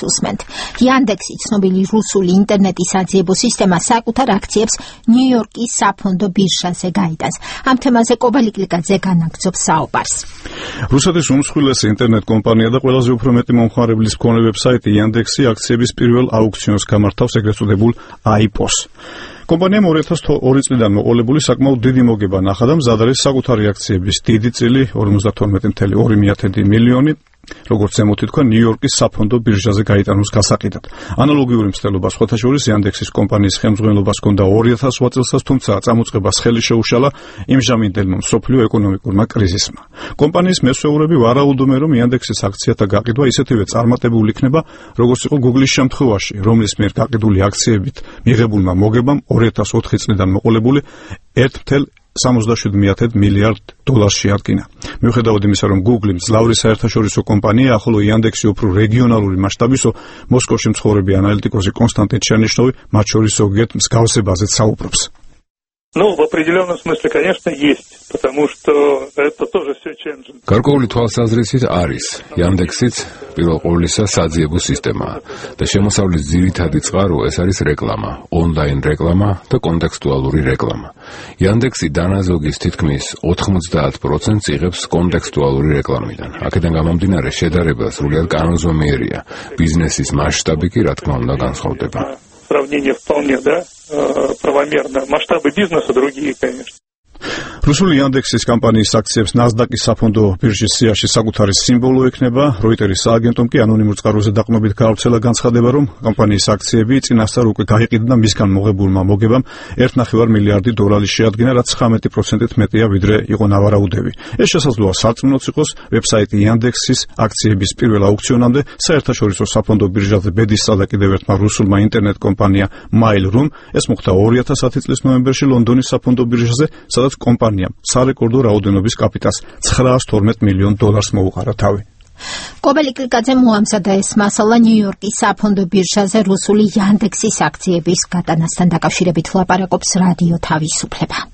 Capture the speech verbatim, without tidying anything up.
უსმენთ. Yandex-ი ცნობილი რუსული ინტერნეტის საძიებო სისტემა საკუთარ აქციებს ნიუ-იორკის საფონდო ბირჟაზე გაიტანს. ამ თემაზე კობალი კლიკაძე განაგრძობს საუბარს. რუსეთის უმსხვილესი ინტერნეტ კომპანია და ყველაზე უფრო მეტი მომხმარებლის მქონე ვებსაიტი Yandex-ი აქციების პირველ აუქციონს გამართავს ეგრეთ წოდებულ აი პი ოს. კომპანიამ ორი ათას ორი წლიდან მოყოლებული საკმაოდ დიდი მოგება ნახა და მზად არის საკუთარი აქციების დიდი წილი ორმოცდათორმეტი კoma ორი მილიონი როგორც ზემოთი თქვა ნიუ-იორკის საფონდო ბირჟაზე გაიტანოს გასაყიდად. ანალოგიური მცდელობა სხვათა შორის Yandex-ის კომპანიის ხელმძღვანელობას ჰქონდა ორი ათას ოთხ წელსაც, თუმცა წამოწყებას ხელი შეუშალა იმჟამინდელმა მსოფლიო ეკონომიკურმა კრიზისმა. კომპანიის მესვეურები ვარაუდობენ, რომ Yandex-ის აქციათა გაყიდვა ისეთივე წარმატებული იქნება, როგორც იყო Google-ის შემთხვევაში, რომლის მიერ გაყიდული აქციებით მიღებულმა მოგებამ ორი ათას ოთხი წლიდან მოყოლებული ერთ კoma სამოცდაშვიდ მილიარდ დოლარს შეადგინა. მიუხედავად იმისა, რომ Google მძლავრი საერთაშორისო კომპანია, ხოლო Yandex-ი უფრო რეგიონალური მასშტაბისო, მოსკოვში მცხოვრები ანალიტიკოსი კონსტანტინ ჩერნიშნოვი მათ შორის ზოგიერთ მსგავსებაზეც საუბრობს. Ну, в определенном смысле, конечно, есть, потому что это тоже все change. გარკვეული თვალსაზრისით არის. Yandex-იც პირველ ყოვლისა საძიებო სისტემაა და შემოსავლის ძირითადი წყარო ეს არის რეკლამა, ონლაინ რეკლამა და კონტექსტუალური რეკლამა. Yandex-ი დანაზოგის თითქმის ოთხმოცდაათ პროცენტს იღებს კონტექსტუალური რეკლამიდან. აქედან გამომდინარე შედარება სრულიად კანონზომიერია. ბიზნესის მასშტაბი კი, რა თქმა უნდა, განსხვავდება. Сравнение вполне, да, правомерно. Масштабы бизнеса другие, конечно. რუსული Yandex-ის კომპანიის აქციებს NASDAQ-ის საფონდო ბირჟის სიაში საკუთარი სიმბოლო ექნება. Reuters სააგენტომ კი ანონიმურ წყაროზე დაყრდნობით გაავრცელა განცხადება, რომ კომპანიის აქციები წინასწარ უკვე გაიყიდა და მისგან მოღებულმა მოგებამ ერთი კoma ორი მილიარდი დოლარი შეადგინა, რაც ცხრამეტი პროცენტით მეტია, ვიდრე იყო ნავარაუდები. ეს შესაძლოა სარწმუნოც იყოს. ვებსაიტი Yandex-ის აქციების პირველ აუქციონამდე საერთაშორისო საფონდო ბირჟაზე ბედისსა და კიდევ ერთმა რუსულმა ინტერნეტ კომპანია Mail.ru-მ ეს მოხდა ორი ათას ათი წლის ნოემბერში ლონდონის საფონდო ბირჟაზე, სადაც კომპანიამ სარეკორდო რაოდენობის კაპიტალს ცხრაას თორმეტ მილიონ დოლარს მოუყარა თავი. კობალი კლიკაძე მოამზადა ეს მასალა ნიუ-იორკის საფონდო ბირჟაზე რუსული Yandex-ის აქციების გატანასთან დაკავშირებით ლაპარაკობს რადიო თავისუფლება.